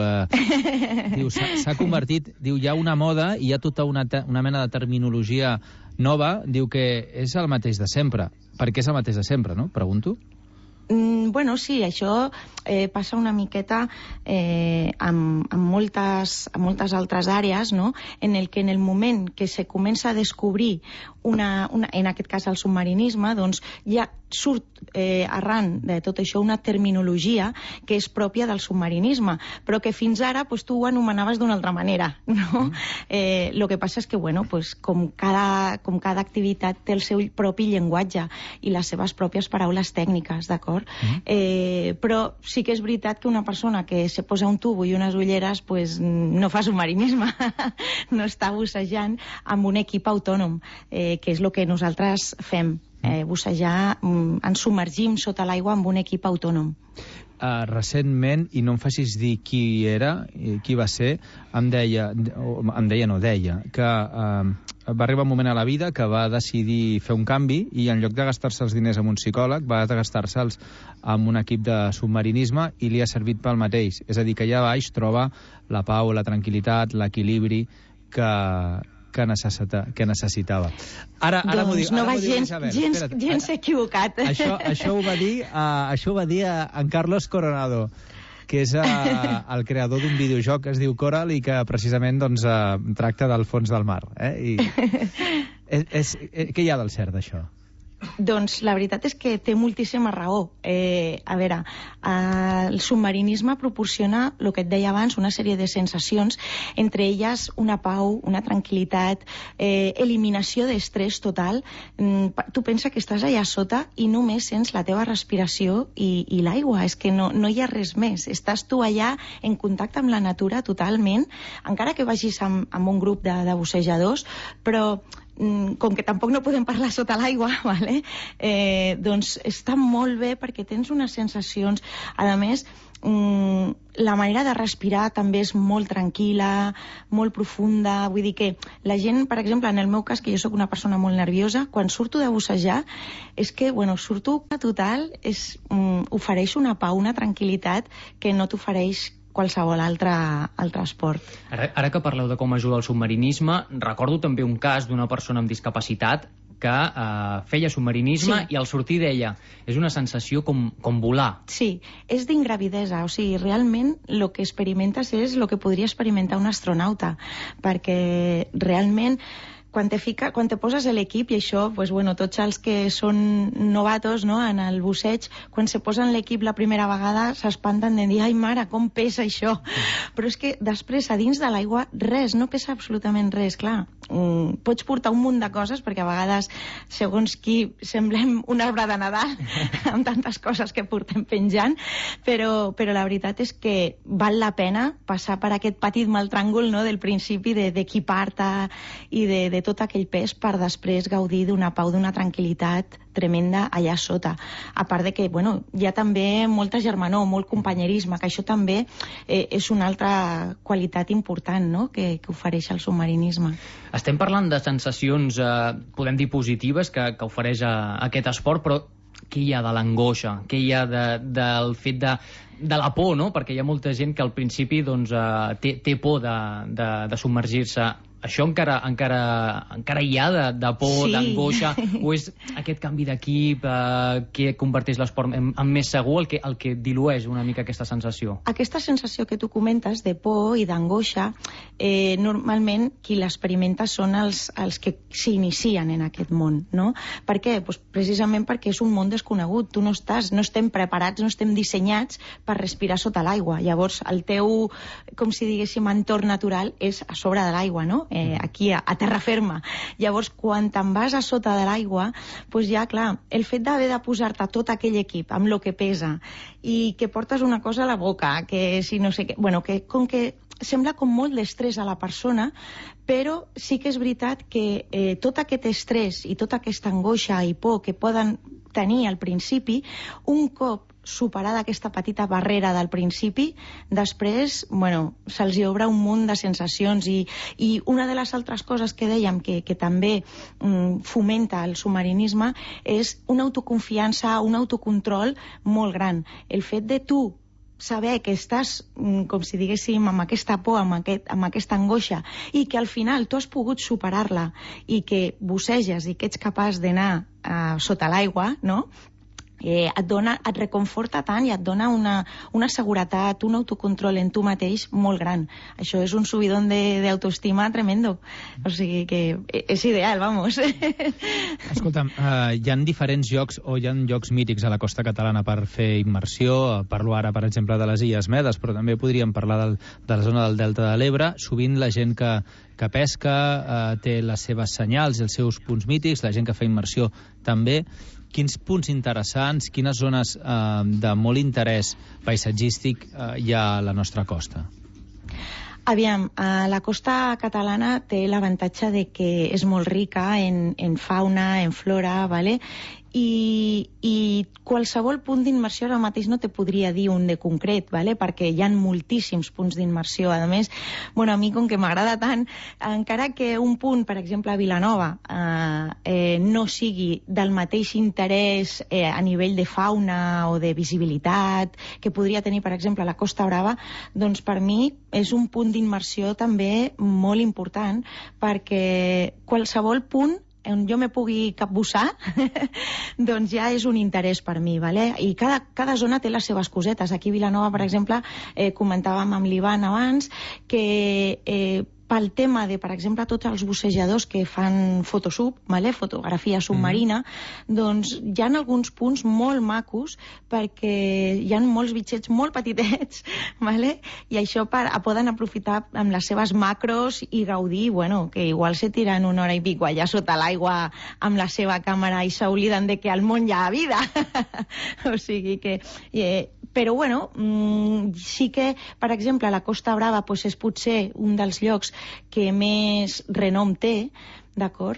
s'ha convertit, diu, hi ha una moda i hi ha tota una mena de terminologia nova, diu que és el mateix de sempre. Per què és el mateix de sempre, no? Pregunto. Bueno, sí, això passa una miqueta amb moltes altres àrees, no? En el moment que se comença a descobrir en aquest cas el submarinisme, doncs ja surt arran de tot això una terminologia que és pròpia del submarinisme, però que fins ara tu ho anomenaves d'una altra manera, no? El que passa és que, com cada activitat té el seu propi llenguatge i les seves pròpies paraules tècniques, d'acord? Però sí que és veritat que una persona que se posa un tubo i unes ulleres no fa submarinisme, no està bussejant amb un equip autònom, que és el que nosaltres fem, bussejar, ens submergim sota l'aigua amb un equip autònom. Recentment, i no em facis dir qui era, qui va ser, deia que va arribar un moment a la vida que va decidir fer un canvi i en lloc de gastar-se els diners amb un psicòleg va gastar-se'ls amb un equip de submarinisme i li ha servit pel mateix. És a dir, que allà baix troba la pau, la tranquil·litat, l'equilibri que necessitava. Ara m'ho diu. No va gens equivocat. Això ho va dir en Carlos Coronado, que és el creador d'un videojoc que es diu Coral i que precisament tracta del fons del mar. Què hi ha del cert d'això? Doncs la veritat és que té moltíssima raó. A veure, el submarinisme proporciona, el que et deia abans, una sèrie de sensacions, entre elles una pau, una tranquil·litat, eliminació d'estrès total. Tu pensa que estàs allà sota i només sents la teva respiració i l'aigua. És que no hi ha res més. Estàs tu allà en contacte amb la natura totalment, encara que vagis amb un grup de bussejadors, però com que tampoc no podem parlar sota l'aigua, vale? Doncs està molt bé perquè tens unes sensacions, a més, la manera de respirar també és molt tranquil·la, molt profunda, vull dir que la gent, per exemple, en el meu cas, que jo sóc una persona molt nerviosa, quan surto de bussejar, és que, surto total, ofereix una pau, una tranquil·litat que no t'ofereix qualsevol altre esport. Ara que parleu de com ajuda el submarinisme, recordo també un cas d'una persona amb discapacitat que feia submarinisme i al sortir deia, és una sensació com volar. Sí, és d'ingravidesa, o sigui, realment el que experimentes és el que podria experimentar un astronauta, perquè realment quan te poses a l'equip, i això, tots els que són novatos en el busseig, quan se posen l'equip la primera vegada s'espanten de dir, ai mare, com pesa això? Però és que després, a dins de l'aigua, res, no pesa absolutament res, clar. Pots portar un munt de coses, perquè a vegades, segons qui, semblem un arbre de Nadal, amb tantes coses que portem penjant, però la veritat és que val la pena passar per aquest petit mal tràngol del principi d'equipar-te i de tot aquell pes per després gaudir d'una pau, d'una tranquil·litat tremenda allà sota. A part de que, hi ha també molta germanor, molt companyerisme, que això també és una altra qualitat important que ofereix el submarinisme. Estem parlant de sensacions, podem dir, positives que ofereix aquest esport, però què hi ha de l'angoixa? Què hi ha del fet de la por, no? Perquè hi ha molta gent que al principi té por de submergir-se. Això encara hi ha de por, d'angoixa, o és aquest canvi d'equip que converteix l'esport en més segur el que dilueix una mica aquesta sensació? Aquesta sensació que tu comentes de por i d'angoixa, normalment qui l'experimenta són els que s'inicien en aquest món, no? Per què? Precisament perquè és un món desconegut. No estem preparats, no estem dissenyats per respirar sota l'aigua. Llavors, el teu, com si diguéssim, entorn natural és a sobre de l'aigua, no? Aquí a terra ferma. Llavors, quan te'n vas a sota de l'aigua, ja, clar, el fet d'haver de posar-te tot aquell equip amb el que pesa i que portes una cosa a la boca, que si no sé què... que com que sembla com molt d'estrès a la persona, però sí que és veritat que tot aquest estrès i tota aquesta angoixa i por que poden tenir al principi, un cop superada aquesta petita barrera del principi, després, se'ls hi obre un munt de sensacions i una de les altres coses que dèiem que també fomenta el submarinisme és una autoconfiança, un autocontrol molt gran. El fet de tu saber que estàs, com si diguéssim, amb aquesta por, amb aquesta angoixa, i que al final tu has pogut superar-la i que busseges i que ets capaç d'anar sota l'aigua, no? Et reconforta tant i et dona una seguretat, un autocontrol en tu mateix molt gran. Això és un subidón d'autoestima tremendo. O sigui que és ideal, vamos. Escolta'm, hi ha diferents llocs o hi ha llocs mítics a la costa catalana per fer immersió. Parlo ara, per exemple, de les Illes Medes, però també podríem parlar de la zona del Delta de l'Ebre. Sovint la gent que pesca té les seves senyals i els seus punts mítics, la gent que fa immersió també. Quins punts interessants, quines zones de molt interès paisatgístic hi ha a la nostra costa? Aviam, la costa catalana té l'avantatge de que és molt rica en fauna, en flora, ¿vale? I qualsevol punt d'immersió ara mateix no te podria dir un de concret, ¿vale? Perquè hi ha moltíssims punts d'immersió. A més, a mi, com que m'agrada tant, encara que un punt, per exemple, a Vilanova, no sigui del mateix interès a nivell de fauna o de visibilitat que podria tenir, per exemple, la Costa Brava, doncs per mi és un punt d'immersió també molt important, perquè qualsevol punt on jo me pugui capbussar, doncs ja és un interès per mi, ¿vale? I cada zona té les seves cosetes. Aquí a Vilanova, per exemple, comentàvem amb l'Ivan abans que pel tema de, per exemple, tots els bussejadors que fan fotosub, ¿vale? Fotografia submarina, doncs hi ha alguns punts molt macos perquè hi ha molts bitxets molt petitets, ¿vale? I això poden aprofitar amb les seves macros i gaudir, que igual se tiren una hora i pico allà sota l'aigua amb la seva càmera i s'obliden de que al món hi ha vida. O sigui que... Però, sí que, per exemple, la Costa Brava és potser un dels llocs que més renom té, d'acord?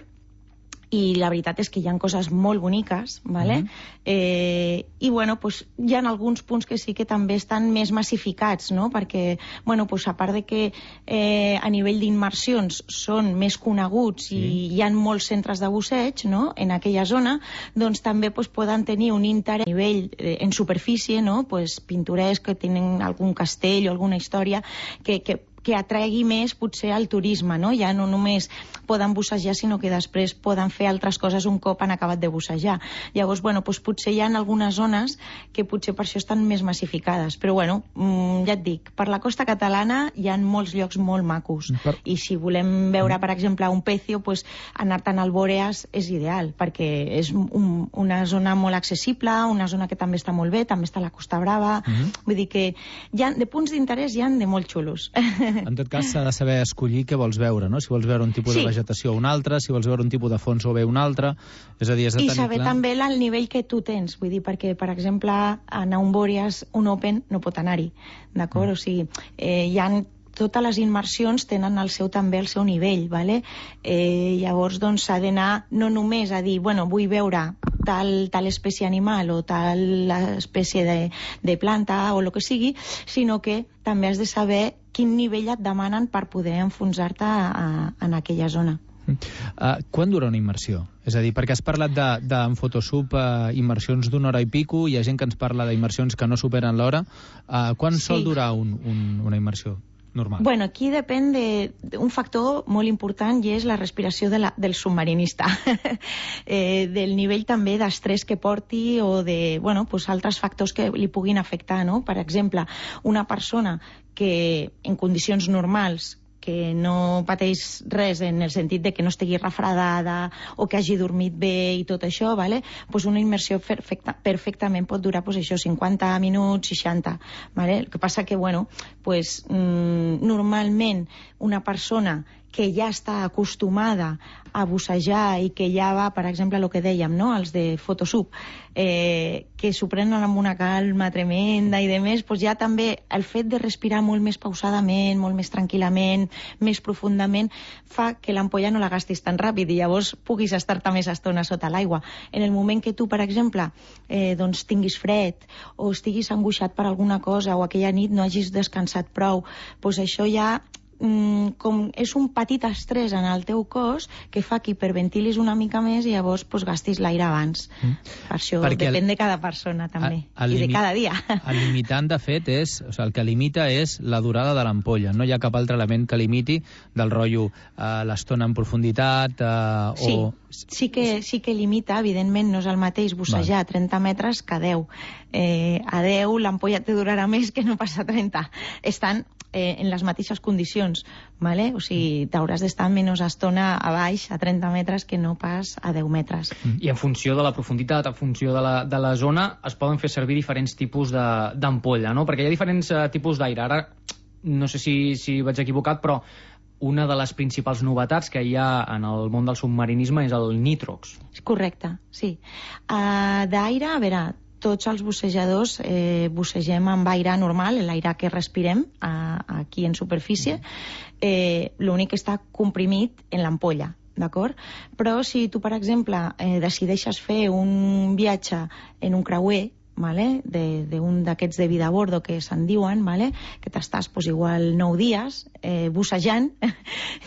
i la veritat és que hi ha coses molt boniques, ¿vale? I bueno, pues, hi ha alguns punts que sí que també estan més massificats, no? Perquè, bueno, pues, a part de que a nivell d'immersions són més coneguts i hi ha molts centres de busseig, no?, en aquella zona, doncs també pues, poden tenir un interès a nivell en superfície, no?, pues, pintoresc, que tenen algun castell o alguna història que atregui més potser al turisme, no? Ja no només poden bussejar, sinó que després poden fer altres coses un cop han acabat de bussejar. Llavors, bueno, doncs potser hi ha algunes zones que potser per això estan més massificades. Però, bueno, ja et dic, per la costa catalana hi ha molts llocs molt macos. I si volem veure, per exemple, un pecio, doncs anar-te'n al Bòreas és ideal, perquè és una zona molt accessible, una zona que també està molt bé, també està a la Costa Brava. Vull dir que de punts d'interès hi ha de molt xulos. En tot cas, s'ha de saber escollir què vols veure, no? Si vols veure un tipus de vegetació o un altre, si vols veure un tipus de fons o bé un altre. És a dir, has de tenir clar... I saber també el nivell que tu tens, vull dir, perquè, per exemple, anar a un Bòreas, un Open, no pot anar-hi, d'acord? O sigui, hi ha totes les immersions tenen també el seu nivell, ¿vale? Llavors, doncs, s'ha d'anar no només a dir, bueno, vull veure tal espècie animal o tal espècie de planta o el que sigui, sinó que també has de saber quin nivell et demanen per poder enfonsar-te en aquella zona. Quan dura una immersió? És a dir, perquè has parlat en Photosub immersions d'una hora i pico, hi ha gent que ens parla d'immersions que no superen l'hora. Quan sol durar una immersió normal? Bueno, aquí depèn d'un factor molt important i és la respiració del submarinista. Del nivell també d'estrès que porti o de, bueno, pues altres factors que li puguin afectar, no? Per exemple, una persona que en condicions normals que no pateix res en el sentit de que no estigui refredada o que hagi dormit bé i tot això, ¿vale? Pues una immersió perfectament pot durar pues això, 50 minuts, 60. ¿Vale? El que passa que, bueno, pues, normalment una persona que ja està acostumada a bussejar i que ja va, per exemple, el que dèiem, no?, els de Photosub, que s'ho prenen amb una calma tremenda i demés, doncs ja també el fet de respirar molt més pausadament, molt més tranquil·lament, més profundament, fa que l'ampolla no la gastis tan ràpid i llavors puguis estar-te més estona sota l'aigua. En el moment que tu, per exemple, doncs tinguis fred o estiguis angoixat per alguna cosa o aquella nit no hagis descansat prou, doncs això ja com és un petit estrès en el teu cos que fa que hiperventilis una mica més i llavors pues, gastis l'aire abans. Per això depèn de cada persona també i de cada dia. El limitant, de fet, el que limita és la durada de l'ampolla. No hi ha cap altre element que limiti del rotllo l'estona en profunditat Sí que limita, evidentment no és el mateix bussejar a 30 metres que a 10. A 10 l'ampolla te durarà més que no pas a 30. Estan en les mateixes condicions, ¿vale? O sigui, t'hauràs d'estar menys estona a baix, a 30 metres, que no pas a 10 metres. I en funció de la profunditat, en funció de la zona, es poden fer servir diferents tipus d'ampolla, no? Perquè hi ha diferents tipus d'aire. Ara, no sé si vaig equivocat, però una de les principals novetats que hi ha en el món del submarinisme és el nitrox. Correcte, sí. D'aire, a veure, tots els bussejadors bussegem amb aire normal, l'aire que respirem aquí en superfície, l'únic que està comprimit en l'ampolla, d'acord? Però si tu, per exemple, decideixes fer un viatge en un creuer, ¿vale? d'un d'aquests de vida a bordo que se'n diuen, ¿vale? Que t'estàs igual 9 dies bussejant,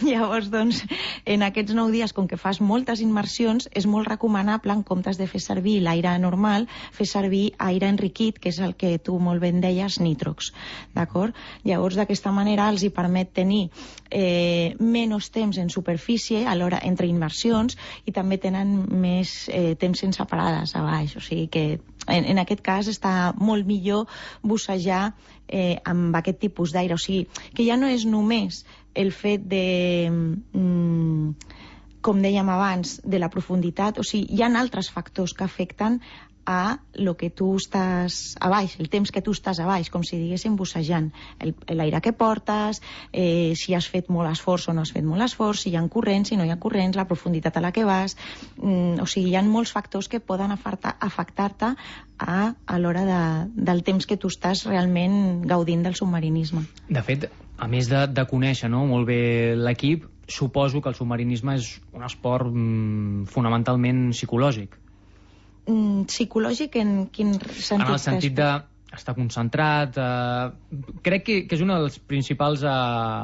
llavors doncs en aquests 9 dies, com que fas moltes immersions, és molt recomanable, en comptes de fer servir l'aire normal, fer servir aire enriquit, que és el que tu molt ben deies, nitrox, d'acord? Llavors d'aquesta manera els hi permet tenir menys temps en superfície alhora entre immersions i també tenen més temps sense parades a baix, o sigui que en aquest cas està molt millor bussejar amb aquest tipus d'aire. O sigui, que ja no és només el fet de, com dèiem abans, de la profunditat, o sigui, hi ha altres factors que afecten a lo que tu estàs a baix, el temps que tu estàs a baix, com si diguéssim bussejant. L'aire que portes, si has fet molt esforç o no has fet molt esforç, si hi ha corrents, si no hi ha corrents, la profunditat a la que vas... O sigui, hi ha molts factors que poden afectar-te a l'hora del temps que tu estàs realment gaudint del submarinisme. De fet, a més de conèixer molt bé l'equip, suposo que el submarinisme és un esport fonamentalment psicològic. Psicològic en quin sentit? En el sentit de estar concentrat, crec que és un dels principals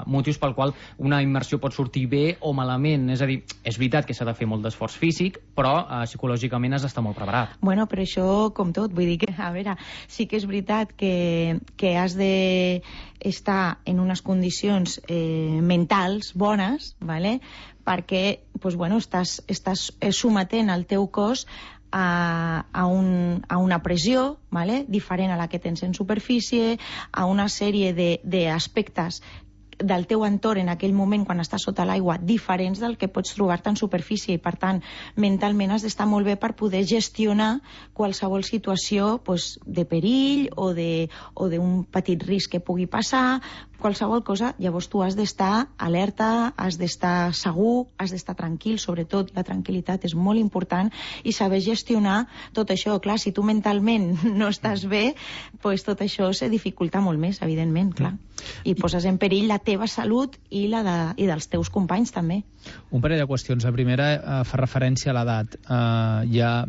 motius pel qual una immersió pot sortir bé o malament. És a dir, és veritat que s'ha de fer molt d'esforç físic, però psicològicament has d'estar molt preparat. Bueno, però això, com tot, vull dir que, a veure, sí que és veritat que has d'estar en unes condicions mentals bones, ¿vale? Perquè pues, bueno, estàs sometent el teu cos a una pressió, ¿vale? Diferent a la que tens en superfície, a una sèrie d'aspectes del teu entorn en aquell moment quan estàs sota l'aigua diferents del que pots trobar-te en superfície, i per tant mentalment has d'estar molt bé per poder gestionar qualsevol situació pues, de perill o d'un petit risc que pugui passar, qualsevol cosa. Llavors tu has d'estar alerta, has d'estar segur, has d'estar tranquil, sobretot la tranquil·litat és molt important, i saber gestionar tot això. Clar, si tu mentalment no estàs bé, pues tot això se dificulta molt més, evidentment, clar. I poses en perill la teva salut i dels teus companys també. Un parell de qüestions. La primera fa referència a l'edat. Ja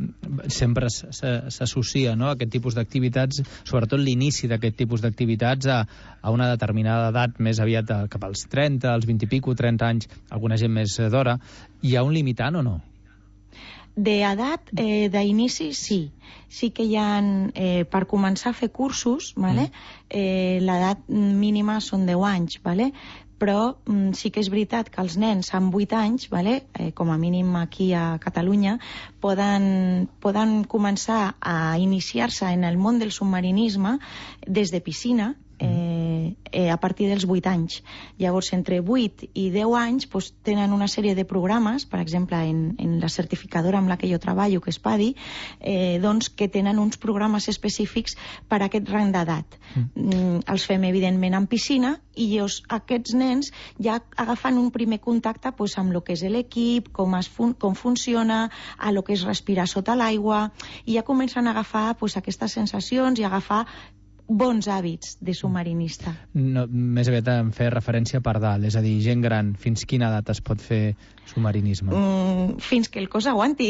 sempre s'associa, no?, aquest tipus d'activitats, sobretot l'inici d'aquest tipus d'activitats, a una determinada edat, més aviat cap als 30, als 20 i pico, 30 anys, alguna gent més d'hora. Hi ha un limitant o no? D'edat, d'inici, sí. Sí que hi ha, per començar a fer cursos, ¿vale? L'edat mínima són 10 anys, ¿vale? Però sí que és veritat que els nens amb 8 anys, ¿vale? Com a mínim aquí a Catalunya, poden començar a iniciar-se en el món del submarinisme des de piscina, a partir dels 8 anys. Llavors, entre 8 i 10 anys pues, tenen una sèrie de programes, per exemple, en la certificadora amb la que jo treballo, que és PADI, doncs, que tenen uns programes específics per a aquest rang d'edat. Els fem, evidentment, en piscina, i llavors aquests nens ja agafen un primer contacte pues, amb el que és l'equip, com funciona, a lo que és respirar sota l'aigua, i ja comencen a agafar pues, aquestes sensacions i a agafar bons hàbits de submarinista. No, més aviat em fer referència per dalt, és a dir, gent gran, fins quina edat es pot fer submarinisme? Fins que el cos aguanti.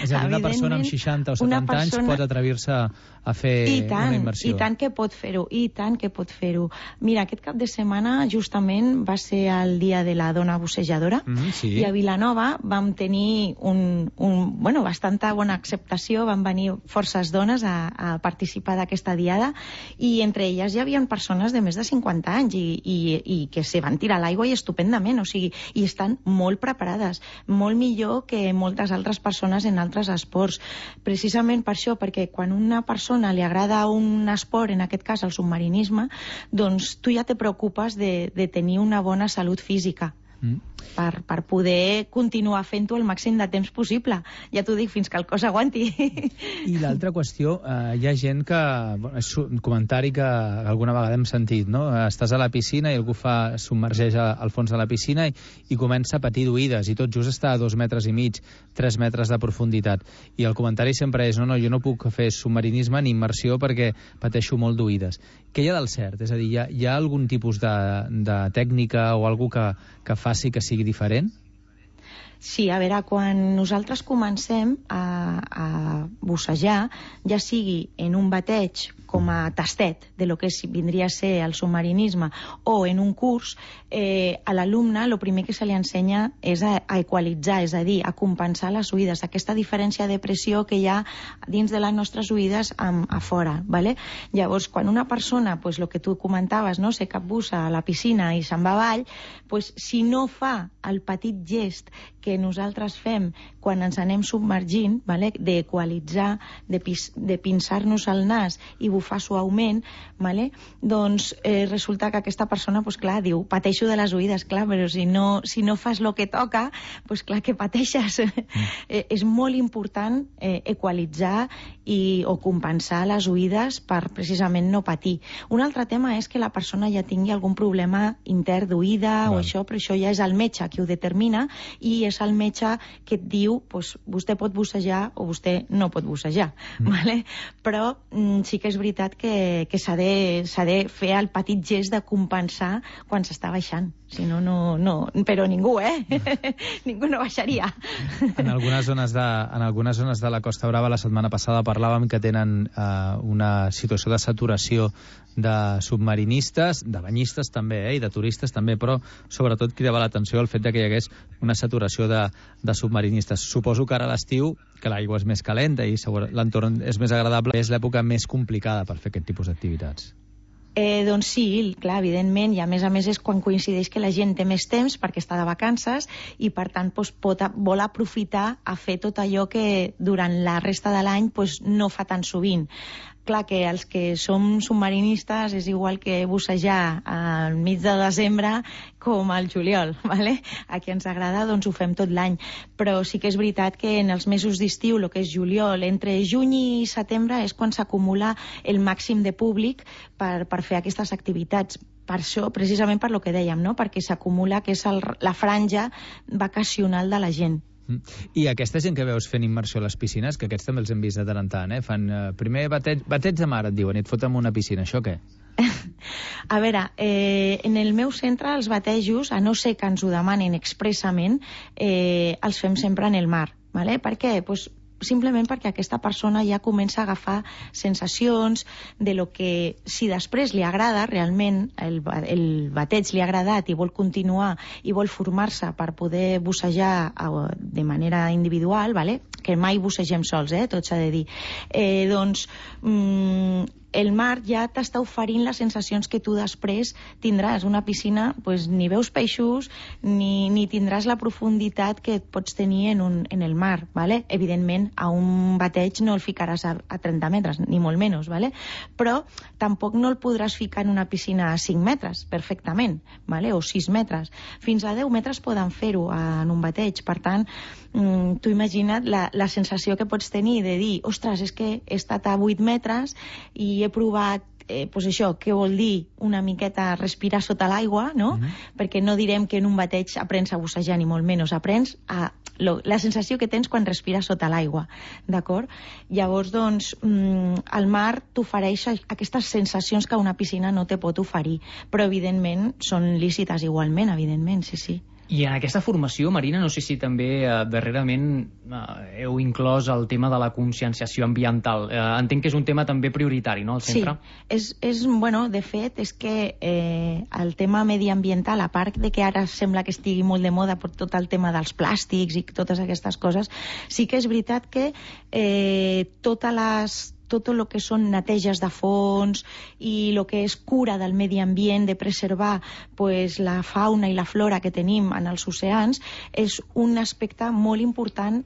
És a dir, una persona amb 60 o 70 anys pot atrevir-se a fer una immersió. I tant que pot fer-ho, i tant que pot fer-ho. Mira, aquest cap de setmana justament va ser el dia de la dona bussejadora, sí. I a Vilanova vam tenir bastanta bona acceptació, van venir forces dones a participar d'aquesta diada, i entre elles hi havia persones de més de 50 anys i que se van tirar a l'aigua i estupendament, o sigui, i estan molt preparades, molt millor que moltes altres persones en altres esports. Precisament per això, perquè quan una persona li agrada un esport, en aquest cas el submarinisme, doncs tu ja te preocupes de tenir una bona salut física. Per poder continuar fent-ho el màxim de temps possible. Ja t'ho dic, fins que el cos aguanti. I l'altra qüestió, hi ha gent que... és un comentari que alguna vegada hem sentit, no? Estàs a la piscina i algú submergeix al fons de la piscina i comença a patir d'oïdes, i tot just està a 2,5 metres, 3 metres de profunditat. I el comentari sempre és, no, jo no puc fer submarinisme ni immersió perquè pateixo molt d'oïdes. Què hi ha del cert? És a dir, hi ha algun tipus de tècnica o alguna que faci que sigui diferent? Sí, a veure, quan nosaltres comencem a bussejar, ja sigui en un bateig com a tastet de lo que vindria a ser el submarinisme o en un curs, a l'alumne el primer que se li ensenya és a equalitzar, és a dir, a compensar les oïdes, aquesta diferència de pressió que hi ha dins de les nostres oïdes a fora, ¿vale? Llavors, quan una persona, pues, el que tu comentaves, no, se capbussa a la piscina i se'n va avall, pues, si no fa el petit gest que nosaltres fem quan ens anem submergint, ¿vale? D'equalitzar, de pinçar-nos el nas i bufar suaument, ¿vale? Doncs resulta que aquesta persona, pues, clar, diu, pateixo de les oïdes, clar, però si no fas el que toca, pues, clar que pateixes. És molt important equalitzar o compensar les oïdes per precisament no patir. Un altre tema és que la persona ja tingui algun problema intern d'oïda o això, però això ja és el metge qui ho determina i és el metge que et diu vostè pot bussejar o vostè no pot bussejar. Vale? Però sí que és veritat que s'ha de fer el petit gest de compensar quan s'està baixant. Si no, però ningú, ningú no baixaria. En algunes zones de la Costa Brava la setmana passada parlàvem que tenen una situació de saturació de submarinistes, de banyistes també, i de turistes també, però sobretot cridava l'atenció el fet que hi hagués una saturació de submarinistes. Suposo que ara a l'estiu, que l'aigua és més calenta i l'entorn és més agradable, és l'època més complicada per fer aquest tipus d'activitats. Doncs sí, clar, evidentment, i a més és quan coincideix que la gent té més temps perquè està de vacances i per tant vol aprofitar a fer tot allò que durant la resta de l'any no fa tan sovint. Clar que els que som submarinistes és igual que bussejar al mig de desembre com al juliol, ¿vale? A qui ens agrada doncs ho fem tot l'any, però sí que és veritat que en els mesos d'estiu, el que és juliol, entre juny i setembre és quan s'acumula el màxim de públic per fer aquestes activitats. Per això, precisament per lo que dèiem, no? Perquè s'acumula que és la franja vacacional de la gent. I aquesta gent que veus fent immersió a les piscines, que aquests també els hem vist de tant en tant, fan primer bateig de mar, et diuen, i et foten en una piscina, això què? A veure, en el meu centre els batejos, a no ser que ens ho demanin expressament, els fem sempre en el mar. ¿Vale? Per què? Simplement perquè aquesta persona ja comença a agafar sensacions de lo que, si després li agrada, realment el bateig li ha agradat i vol continuar i vol formar-se per poder bussejar de manera individual, ¿vale? Que mai bussegem sols, tot s'ha de dir, doncs el mar ja t'està oferint les sensacions que tu després tindràs. Una piscina, ni veus peixos ni tindràs la profunditat que et pots tenir en el mar, ¿vale? Evidentment, a un bateig no el ficaràs a 30 metres, ni molt menys, ¿vale? Però tampoc no el podràs ficar en una piscina a 5 metres, perfectament, ¿vale? O 6 metres. Fins a 10 metres poden fer-ho en un bateig. Per tant, tu imagina't la sensació que pots tenir de dir, ostres, és que he estat a 8 metres i he provat això, què vol dir una miqueta respirar sota l'aigua, no? Perquè no direm que en un bateig aprens a bussejar, ni molt menys, aprens la sensació que tens quan respires sota l'aigua, d'acord? Llavors, doncs, el mar t'ofereix aquestes sensacions que una piscina no te pot oferir, però evidentment són lícites igualment, evidentment, sí. I en aquesta formació, Marina, no sé si també darrerament heu inclòs el tema de la conscienciació ambiental. Entenc que és un tema també prioritari, no?, al centre? Sí, de fet, és que el tema mediambiental, a part de que ara sembla que estigui molt de moda per tot el tema dels plàstics i totes aquestes coses, sí que és veritat que tot el que són neteges de fons i el que és cura del medi ambient, de preservar la fauna i la flora que tenim en els oceans, és un aspecte molt important,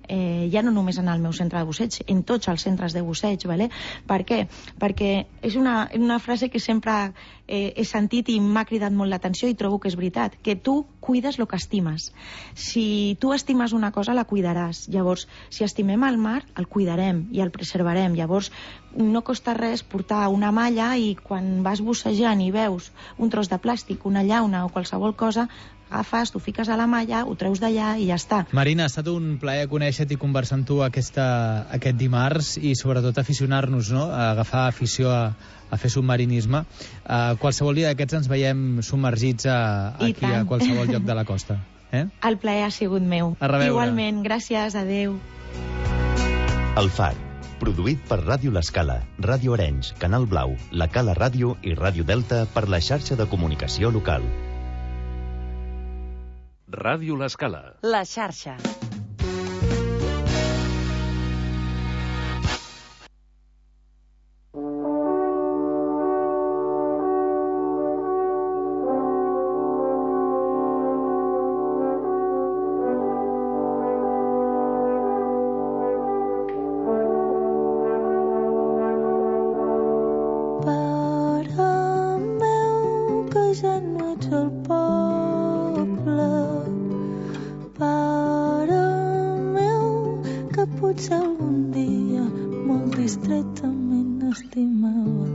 ja no només en el meu centre de busseig, en tots els centres de busseig, ¿vale? Per què? Perquè és una frase que sempre he sentit i m'ha cridat molt l'atenció i trobo que és veritat, que tu cuides el que estimes. Si tu estimes una cosa, la cuidaràs. Llavors, si estimem el mar, el cuidarem i el preservarem. Llavors, no costa res portar una malla i quan vas bussejant i veus un tros de plàstic, una llauna o qualsevol cosa, agafes, t'ho fiques a la malla, ho treus d'allà i ja està. Marina, ha estat un plaer conèixer-te i conversar amb tu aquest dimarts i sobretot aficionar-nos, no?, a agafar afició a fer submarinisme. Qualsevol dia d'aquests ens veiem submergits aquí a qualsevol lloc de la costa. El plaer ha sigut meu. A reveure. Igualment, gràcies, adeu. El Far, produït per Ràdio L'Escala, Ràdio Arenys, Canal Blau, La Cala Ràdio i Ràdio Delta per la xarxa de comunicació local. Ràdio L'Escala. La xarxa. estretament estimava.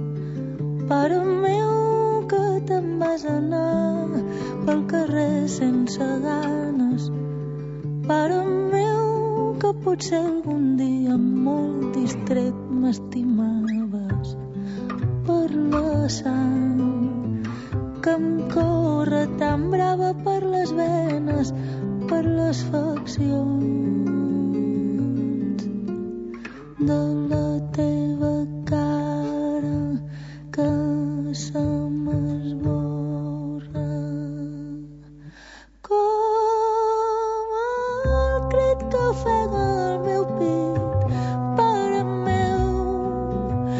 Pare meu, que te'n vas anar pel carrer sense ganes. Pare meu, que potser algun dia molt distret m'estimaves. Per la sang que em corre tan brava per les venes, per les faccions del